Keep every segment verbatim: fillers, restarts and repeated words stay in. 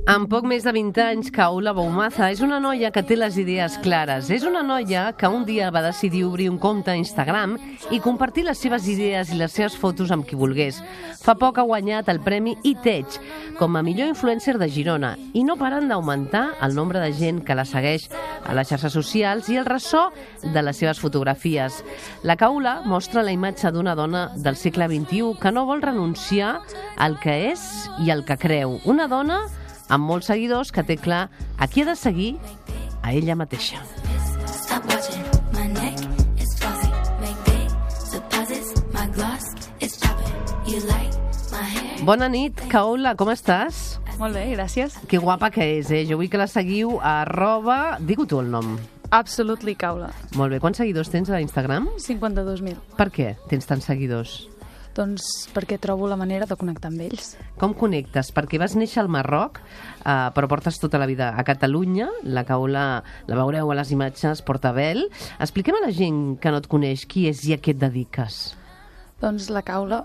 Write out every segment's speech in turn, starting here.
Amb poc més de vint anys, Kaula Boumaza és una noia que té les idees clares. És una noia que un dia va decidir obrir un compte a Instagram i compartir les seves idees i les seves fotos amb qui volgués. Fa poc ha guanyat el premi iTech com a millor influencer de Girona i no paren d'augmentar el nombre de gent que la segueix a les xarxes socials i el ressò de les seves fotografies. La Kaula mostra la imatge d'una dona del segle vint-i-u que no vol renunciar al que és i al que creu. Una dona amb molts seguidors que té clar a qui ha de seguir a ella mateixa. Bona nit, Kaula, com estàs? Molt bé, gràcies. Que guapa que és, eh? Jo vull que la seguiu a arroba... Digue tu el nom. Absolutely Kaula. Molt bé. Quants seguidors tens a Instagram? cinquanta-dos mil. Per què tens tants seguidors? Doncs perquè trobo la manera de connectar amb ells. Com connectes? Perquè vas néixer al Marroc, eh, però portes tota la vida a Catalunya. La Kaula, la veureu a les imatges, porta vel. Expliquem a la gent que no et coneix qui és i a què et dediques. Doncs la Kaula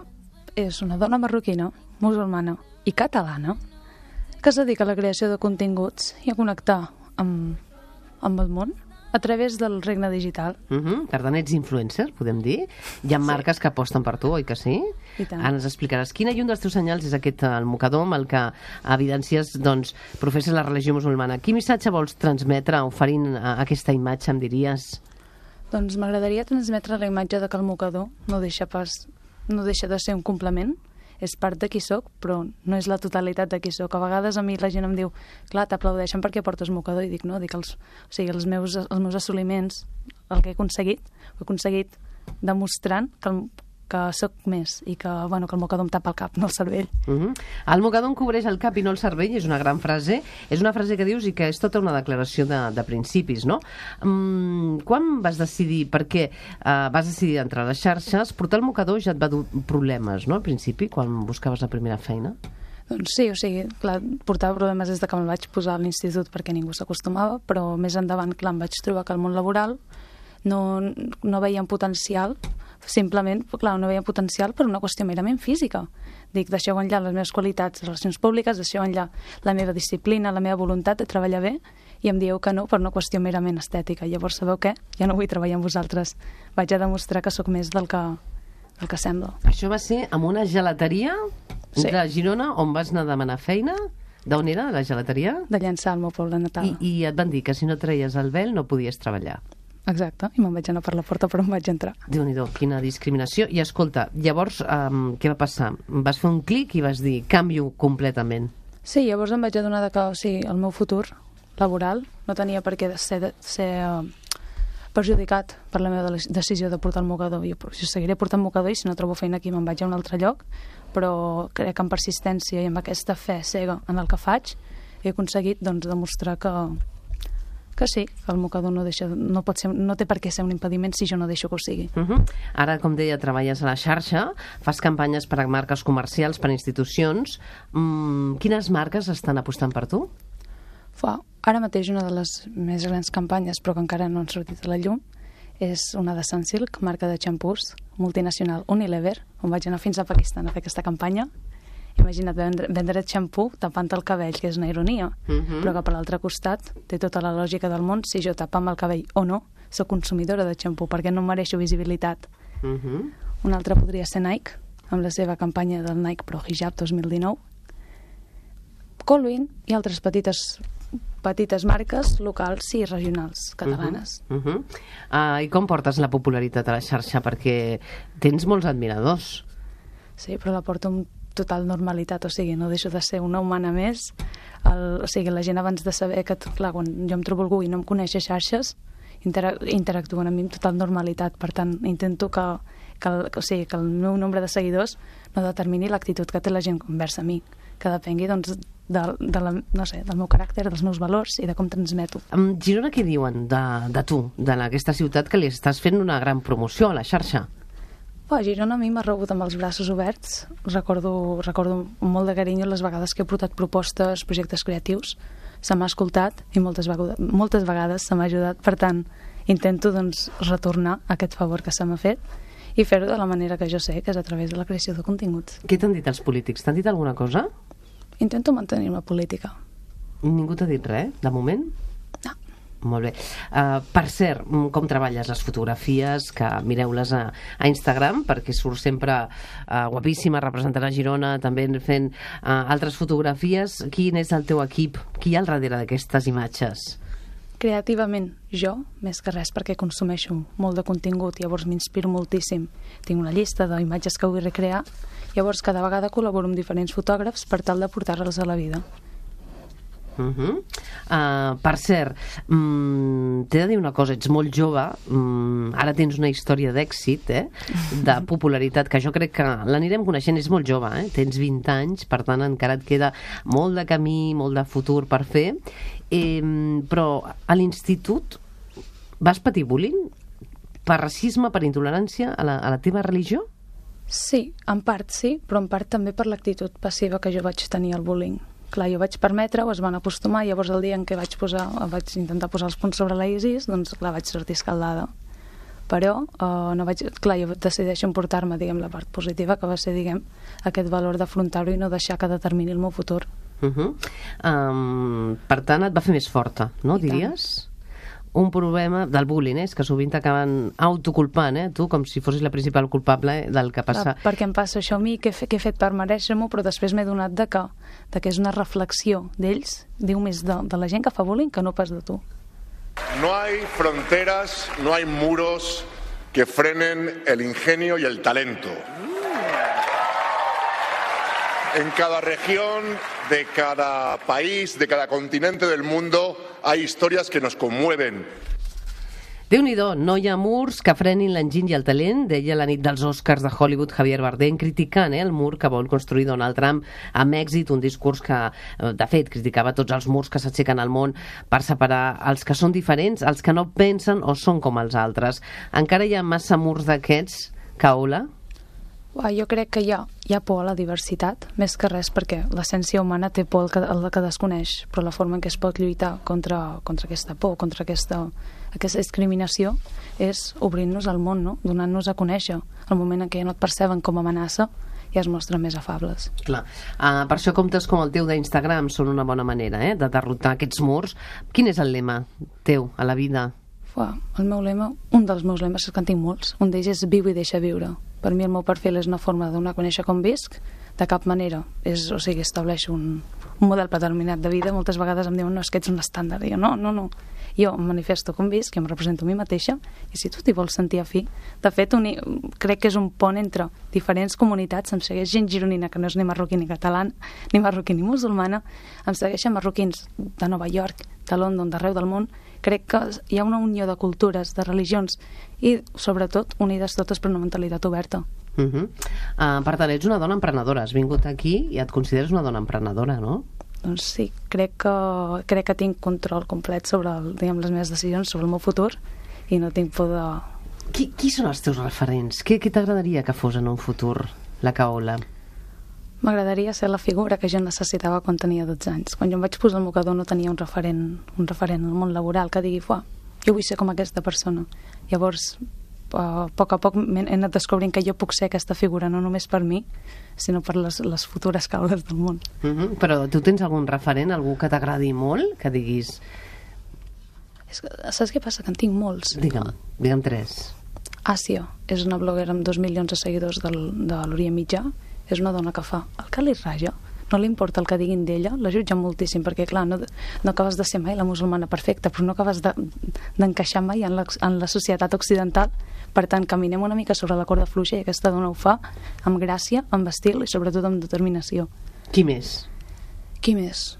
és una dona marroquina, musulmana i catalana que es dedica a la creació de continguts i a connectar amb, amb el món a través del regne digital. Uh -huh. Per tant, ets influencer, podem dir. Hi ha sí. marques que aposten per tu, oi que sí? I tant. Ara ens explicaràs quin i un dels teus senyals és aquest, el mocador amb el que evidencies, doncs, professes la religió musulmana. Quin missatge vols transmetre oferint aquesta imatge, em diries? Doncs m'agradaria transmetre la imatge de que el mocador no deixa pas, no deixa de ser un complement, és part de qui soc, però no és la totalitat de qui soc. A vegades a mi la gent em diu, clar, t'aplaudeixen perquè portes mocador, i dic, no, dic els, o sigui, els meus, els meus assoliments, el que he aconseguit, ho he aconseguit demostrant que, el, que soc més i que, bueno, que el mocador em tapa el cap, no el cervell. Uh -huh. El mocador em cobreix el cap i no el cervell, és una gran frase, és una frase que dius i que és tota una declaració de, de principis, no? Um, quan vas decidir, per què uh, vas decidir entrar a les xarxes, portar el mocador ja et va dur problemes, no?, al principi, quan buscaves la primera feina? Doncs sí, o sigui, clar, portava problemes des de que me'l vaig posar a l'institut perquè ningú s'acostumava, però més endavant, clar, em vaig trobar que el món laboral no, no veia un potencial, simplement, clar, no veia potencial per una qüestió merament física. Dic, deixeu enllà les meves qualitats de relacions públiques, deixeu enllà la meva disciplina, la meva voluntat de treballar bé, i em dieu que no per una qüestió merament estètica. Llavors, sabeu què? Ja no vull treballar amb vosaltres. Vaig a demostrar que sóc més del que, del que sembla. Això va ser en una gelateria sí. de Girona, on vas anar a demanar feina? D'on era, la gelateria? De Llançà, al meu poble natal. I, I et van dir que si no treies el vel no podies treballar. Exacte, i me'n vaig anar per la porta, però em vaig entrar. Déu-n'hi-do, quina discriminació. I escolta, llavors, um, què va passar? Vas fer un clic i vas dir, canvio completament. Sí, llavors em vaig adonar que o sigui, el meu futur laboral no tenia per què ser, ser uh, perjudicat per la meva decisió de portar el mocador. Jo, jo seguiré portant mocador i si no trobo feina aquí me'n vaig a un altre lloc, però crec que amb persistència i amb aquesta fe cega en el que faig he aconseguit doncs, demostrar que que sí, que el mocador no, deixa, no, pot ser, no té per què ser un impediment si jo no deixo que ho sigui. Uh -huh. Ara, com deia, treballes a la xarxa, fas campanyes per a marques comercials, per a institucions. Mm, quines marques estan apostant per tu? Fa, ara mateix una de les més grans campanyes, però que encara no han sortit a la llum, és una de Sunsilk, marca de xampús, multinacional Unilever, on vaig anar fins a Pakistan a fer aquesta campanya. Imagina't vendre, vendre xampú tapant el cabell, que és una ironia, uh -huh. però que per l'altre costat té tota la lògica del món. Si jo tapam el cabell o no, soc consumidora de xampú, perquè no mereixo visibilitat. Uh -huh. Un altre podria ser Nike, amb la seva campanya del Nike Pro Hijab dos mil dinou. Colwyn i altres petites petites marques locals i regionals catalanes. Uh -huh. Uh -huh. uh, I com portes la popularitat a la xarxa? Perquè tens molts admiradors. Sí, però la porto amb total normalitat, o sigui, no deixo de ser una humana més. El, o sigui, la gent abans de saber que, clar, quan jo em trobo algú i no em coneix a xarxes, intera interactuen amb mi amb total normalitat. Per tant, intento que, que, el, o sigui, que el meu nombre de seguidors no determini l'actitud que té la gent conversa a mi, que depengui, doncs, de, de la, no sé, del meu caràcter, dels meus valors i de com transmeto. En Girona, què diuen de, de tu, d'aquesta ciutat que li estàs fent una gran promoció a la xarxa? A Girona a mi m'ha rebut amb els braços oberts. Recordo, recordo molt de carinyo les vegades que he portat propostes, projectes creatius. Se m'ha escoltat i moltes vegades, moltes vegades se m'ha ajudat. Per tant, intento doncs, retornar aquest favor que se m'ha fet i fer-ho de la manera que jo sé, que és a través de la creació de continguts. Què t'han dit els polítics? T'han dit alguna cosa? Intento mantenir-me política. Ningú t'ha dit res, de moment? No. Molt bé. Uh, per cert, com treballes les fotografies, que mireu-les a, a Instagram, perquè surt sempre uh, guapíssima, representant a Girona, també fent uh, altres fotografies. Quin és el teu equip? Qui hi ha al darrere d'aquestes imatges? Creativament, jo, més que res, perquè consumeixo molt de contingut, llavors m'inspiro moltíssim. Tinc una llista d'imatges que vull recrear, llavors cada vegada col·laboro amb diferents fotògrafs per tal de portar-les a la vida. Uh -huh. uh, per cert, um, t'he de dir una cosa, ets molt jove, um, ara tens una història d'èxit, eh? De popularitat, que jo crec que l'anirem coneixent. És molt jove, eh? Tens vint anys, per tant encara et queda molt de camí, molt de futur per fer, eh, però a l'institut vas patir bullying per racisme, per intolerància a la, a la teva religió? Sí, en part sí, però en part també per l'actitud passiva que jo vaig tenir al bullying. Clar, jo vaig permetre-ho, es van acostumar, llavors el dia en què vaig, posar, vaig intentar posar els punts sobre la ISIS, doncs clar, vaig sortir escaldada. Però uh, no vaig, clar, jo decideixo emportar-me, diguem, la part positiva, que va ser, diguem, aquest valor d'afrontar-ho i no deixar que determini el meu futur. Uh -huh. um, per tant, et va fer més forta, no, I diries? Tant. Un problema del bullying, eh? És que sovint t'acaben autoculpant, eh? Tu, com si fossis la principal culpable eh? del que passa. Clar, perquè em passa això a mi, que he, fe, que he fet per mereixer-m'ho, però després m'he donat de que, de que és una reflexió d'ells, diu més de, de la gent que fa bullying que no pas de tu. No hay fronteras, no hay muros que frenen el ingenio y el talento. En cada región, de cada país, de cada continente del mundo, hay historias que nos conmueven. Déu-n'hi-do, no hi ha murs que frenin l'enginy i el talent, deia la nit dels Oscars de Hollywood Javier Bardem, criticant eh, el mur que vol construir Donald Trump amb èxit, un discurs que, de fet, criticava tots els murs que s'aixequen al món per separar els que són diferents, els que no pensen o són com els altres. Encara hi ha massa murs d'aquests, Caula? Jo crec que hi ha, hi ha por a la diversitat, més que res perquè l'essència humana té por al que, al que desconeix, però la forma en què es pot lluitar contra, contra aquesta por, contra aquesta, aquesta discriminació, és obrint-nos al món, no? Donant-nos a conèixer. El moment en què ja no et perceben com a amenaça, ja es mostren més afables. Clar. Uh, per això comptes com el teu d'Instagram són una bona manera eh, de derrotar aquests murs. Quin és el lema teu a la vida? Uah, el meu lema, un dels meus lemes, és que en tinc molts. Un d'ells és viu i deixa viure. Per mi el meu perfil és una forma de donar a conèixer com visc, de cap manera. És, o sigui, estableixo un, un model determinat de vida. Moltes vegades em diuen, no, és que ets un estàndard. I jo, no, no, no. Jo em manifesto com visc, jo em represento a mi mateixa, i si tu t'hi vols sentir afí, de fet, un, crec que és un pont entre diferents comunitats. Em segueix gent gironina que no és ni marroquí ni català, ni marroquí ni musulmana, em segueixen marroquins de Nova York, de London, d'arreu del món. Crec que hi ha una unió de cultures, de religions i, sobretot, unides totes per una mentalitat oberta. Uh -huh. uh, per tant, ets una dona emprenedora. Has vingut aquí i et consideres una dona emprenedora, no? Doncs sí, crec que, crec que tinc control complet sobre el, diguem, les meves decisions, sobre el meu futur, i no tinc por de... Qui, qui són els teus referents? Què, què t'agradaria que fos en un futur, la Caola? M'agradaria ser la figura que jo necessitava quan tenia dotze anys. Quan jo em vaig posar al mocador no tenia un referent, un referent al món laboral que digui, fuà, jo vull ser com aquesta persona. Llavors, a poc a poc he anat descobrint que jo puc ser aquesta figura, no només per mi, sinó per les, les futures caules del món. Uh -huh. Però tu tens algun referent, algú que t'agradi molt, que diguis... És que, saps què passa? Que en tinc molts. Digue'm, digue'm tres. Àsia és una bloguera amb dos milions de seguidors del, de l'Orient Mitjà. És una dona que fa el que li raja, no li importa el que diguin d'ella, la jutgen moltíssim, perquè clar, no, no acabes de ser mai la musulmana perfecta, però no acabes d'encaixar de, mai en la, en la societat occidental. Per tant, caminem una mica sobre la corda fluixa i aquesta dona ho fa amb gràcia, amb estil i sobretot amb determinació. Qui més? Qui més?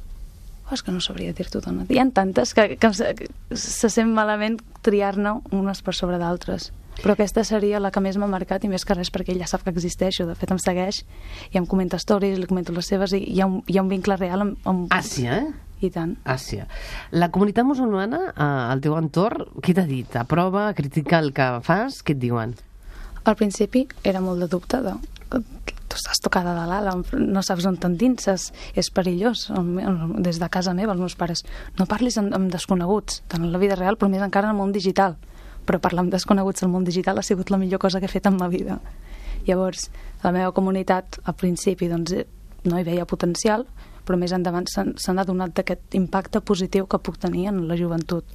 Oh, és que no sabria dir-t'ho, dona. Hi ha tantes que, que, que se sent malament triar-ne unes per sobre d'altres. Però aquesta seria la que més m'ha marcat, i més que res perquè ella sap que existeixo. De fet, em segueix i em comenta stories, li comento les seves, i hi ha un, hi ha un vincle real amb, amb... Àsia, eh? I tant. Àsia. La comunitat musulmana, eh, al teu entorn, què t'ha dit? Aprova, critica el que fas? Què et diuen? Al principi era molt de dubte de... Tu estàs tocada de l'ala, no saps on t'endinses, és perillós. Des de casa meva, els meus pares, no parlis amb, amb desconeguts, tant en la vida real, però més encara en el món digital. Però parlar amb desconeguts al món digital ha sigut la millor cosa que he fet en ma vida. Llavors, la meva comunitat, al principi, doncs, no hi veia potencial, però més endavant s'han adonat d'aquest impacte positiu que puc tenir en la joventut.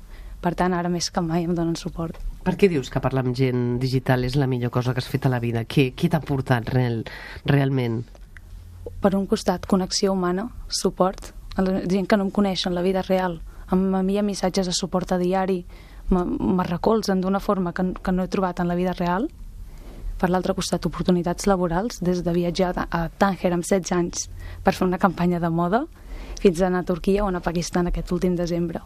Per tant, ara més que mai em donen suport. Per què dius que parlar amb gent digital és la millor cosa que has fet a la vida? Què, què t'ha portat real, realment? Per un costat, connexió humana, suport, a la gent que no em coneix en la vida real, em envia missatges de suport a diari, me recolzen d'una forma que, que no he trobat en la vida real. Per l'altre costat, oportunitats laborals, des de viatjar a Tànger amb setze anys per fer una campanya de moda, fins a anar a Turquia o anar a Pakistan aquest últim desembre.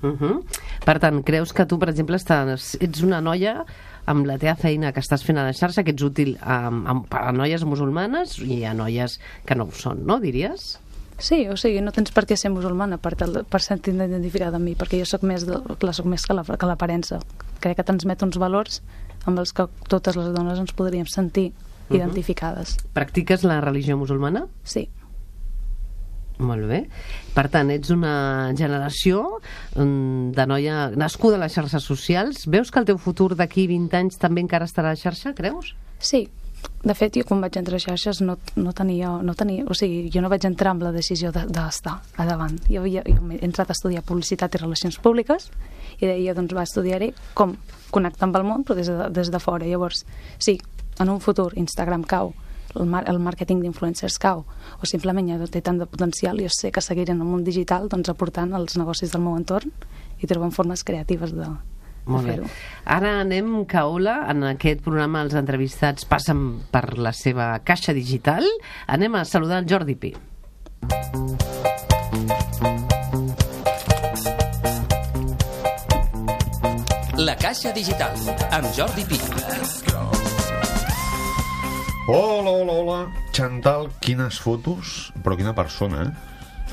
Uh -huh. Per tant, creus que tu, per exemple, estàs, ets una noia amb la teva feina que estàs fent a la xarxa, que ets útil a, a, a noies musulmanes i a noies que no ho són, no, diries? Sí, o sigui, no tens per què ser musulmana per, per sentir-te identificada amb mi, perquè jo soc més, de, soc més que, la, que l'aparença. Crec que transmet uns valors amb els que totes les dones ens podríem sentir uh-huh. identificades. Practiques la religió musulmana? Sí. Molt bé. Per tant, ets una generació de noia nascuda a les xarxes socials. Veus que el teu futur d'aquí vint anys també encara estarà a la xarxa, creus? Sí. De fet, jo quan vaig entrar a xarxes no, no, tenia, no tenia... O sigui, jo no vaig entrar amb la decisió d'estar de, a davant. Jo, havia, jo he entrat a estudiar publicitat i relacions públiques i deia, doncs, va estudiar-hi com connectar amb el món, però des de, des de fora. Llavors, sí, en un futur Instagram cau, el, mar, el màrqueting d'influencers cau, o simplement ja té tant de potencial, jo sé que seguiré en el món digital doncs, aportant als negocis del meu entorn i trobant formes creatives de, Molt de bé. fer-ho. Ara anem, Caola, en aquest programa els entrevistats passen per la seva caixa digital. Anem a saludar el Jordi Pi. La caixa digital, amb Jordi Pi. Hola, hola, hola. Chantal, quines fotos, però quina persona, eh?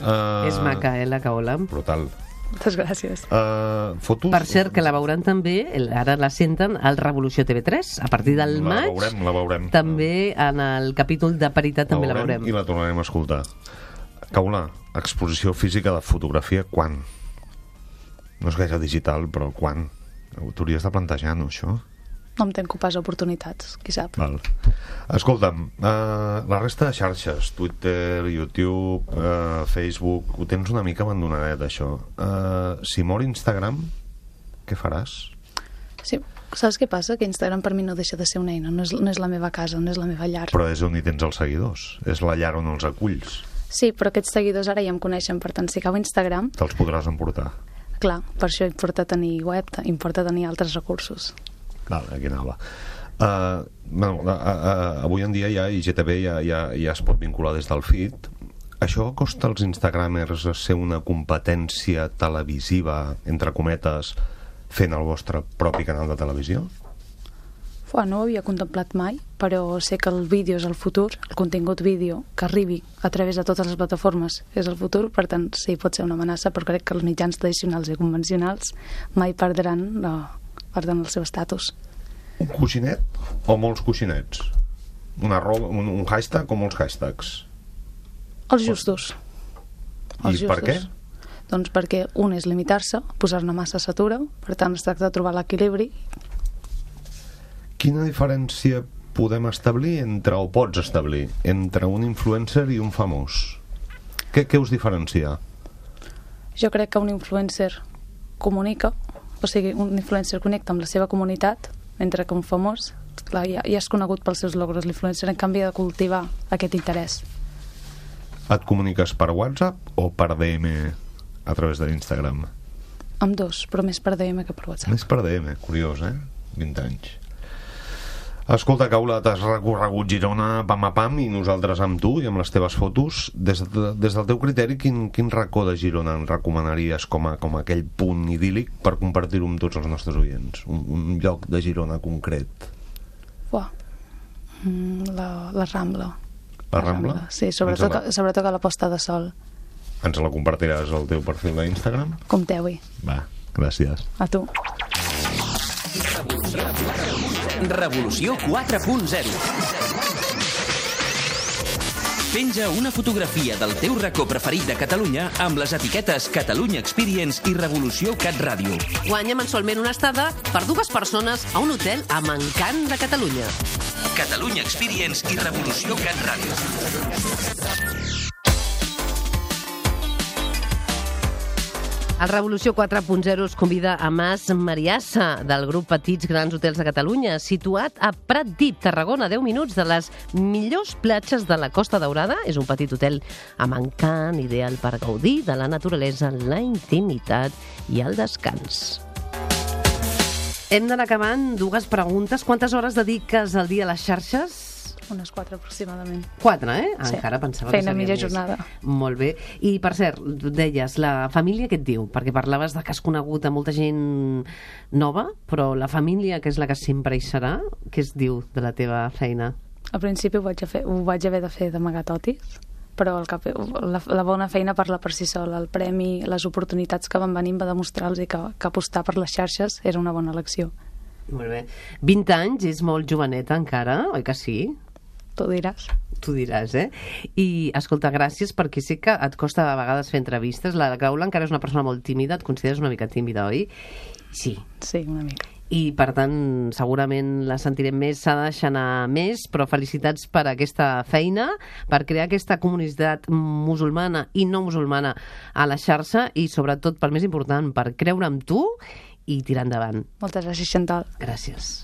Uh, És maca, eh, la Caola. Brutal. Moltes gràcies. Uh, fotos... Per cert, que la veuran també, ara la senten, al Revolució T V tres, a partir del la maig. veurem, la veurem. També en el capítol de Paritat també la veurem. I la tornarem a escoltar. Caola, exposició física de fotografia, quan? No és gaire digital, però quan? T'hauries de plantejar, no, això? No em tenco pas oportunitats, qui sap. Val. Escolta'm, uh, la resta de xarxes, Twitter, YouTube, uh, Facebook, ho tens una mica abandonadet, això. Uh, si mor Instagram, què faràs? Sí, saps què passa? Que Instagram per mi no deixa de ser una eina, no és, no és la meva casa, no és la meva llar. Però és on hi tens els seguidors, és la llar on els aculls. Sí, però aquests seguidors ara ja em coneixen, per tant, si acabo Instagram... Te'ls podràs emportar. Clar, per això importa tenir web, importa tenir altres recursos. Vale, aquí anava. Uh, bueno, uh, uh, avui en dia ja I G T V ja, ja, ja es pot vincular des del feed. Això costa als instagramers ser una competència televisiva, entre cometes, fent el vostre propi canal de televisió? Fua, no ho havia contemplat mai, però sé que el vídeo és el futur, el contingut vídeo que arribi a través de totes les plataformes és el futur, per tant sí, pot ser una amenaça, però crec que els mitjans tradicionals i convencionals mai perdran, no, perdran el seu estatus. Un coixinet o molts coixinets? Una roba, un, un hashtag o molts hashtags? Els justos. I Els per què? Doncs perquè un és limitar-se, posar-ne massa s'atura, per tant es tracta de trobar l'equilibri. Quina diferència podem establir entre, o pots establir, entre un influencer i un famós? Què, què us diferencia? Jo crec que un influencer comunica, o sigui, un influencer connecta amb la seva comunitat, mentre que un famós, clar, ja, ja és conegut pels seus logros. L'influencer, en canvi, ha de cultivar aquest interès. Et comuniques per WhatsApp o per D M a través de l'Instagram? Amb dos, però més per D M que per WhatsApp. Més per D M, curiós, eh? vint anys. Escolta, Caola, t'has recorregut Girona pam a pam i nosaltres amb tu i amb les teves fotos. Des, de, des del teu criteri, quin, quin racó de Girona en recomanaries com a, com a aquell punt idíl·lic per compartir-ho amb tots els nostres oients? Un, un lloc de Girona concret. Uah. Mm, la, la Rambla. La Rambla? Sí, sobretot, la... sobretot a la posta de sol. Ens la compartiràs al teu perfil d'Instagram? Compteu-hi. Va, gràcies. A tu. Revolució quatre punt zero. Penja una fotografia del teu racó preferit de Catalunya amb les etiquetes Catalunya Experience i Revolució Cat Ràdio. Guanya mensualment una estada per dues persones a un hotel amb encant de Catalunya. Catalunya Experience i Revolució Cat Ràdio. El Revolució quatre punt zero es convida a Mas Mariassa, del grup Petits Grans Hotels de Catalunya, situat a Pratdip, Tarragona, a deu minuts de les millors platges de la Costa Daurada. És un petit hotel amb encant, ideal per gaudir de la naturalesa, la intimitat i el descans. Hem d'anar acabant. Dues preguntes. Quantes hores dediques al dia a les xarxes? Unes quatre aproximadament. Quatre, eh? Sí. Encara pensava Feina que seria mitja més. jornada. Molt bé. I, per cert, tu deies, la família què et diu? Perquè parlaves de que has conegut a molta gent nova, però la família, que és la que sempre hi serà, què es diu de la teva feina? Al principi ho vaig, a fer, ho vaig haver de fer d'amagar totis, però el cap, la, la bona feina parla per si sola. El premi, les oportunitats que van venir va demostrar-los que, que apostar per les xarxes era una bona elecció. Molt bé. vint anys és molt joveneta encara, oi que sí? Tu diràs. Tu diràs, eh? I, escolta, gràcies, perquè sé que et costa a vegades fer entrevistes. La Caula encara és una persona molt tímida, et consideres una mica tímida, oi? Sí. Sí, una mica. I, per tant, segurament la sentirem més, s'ha de deixar anar més, però felicitats per aquesta feina, per crear aquesta comunitat musulmana i no musulmana a la xarxa i, sobretot, per més important, per creure en tu i tirar endavant. Moltes gràcies, Chantal. Gràcies.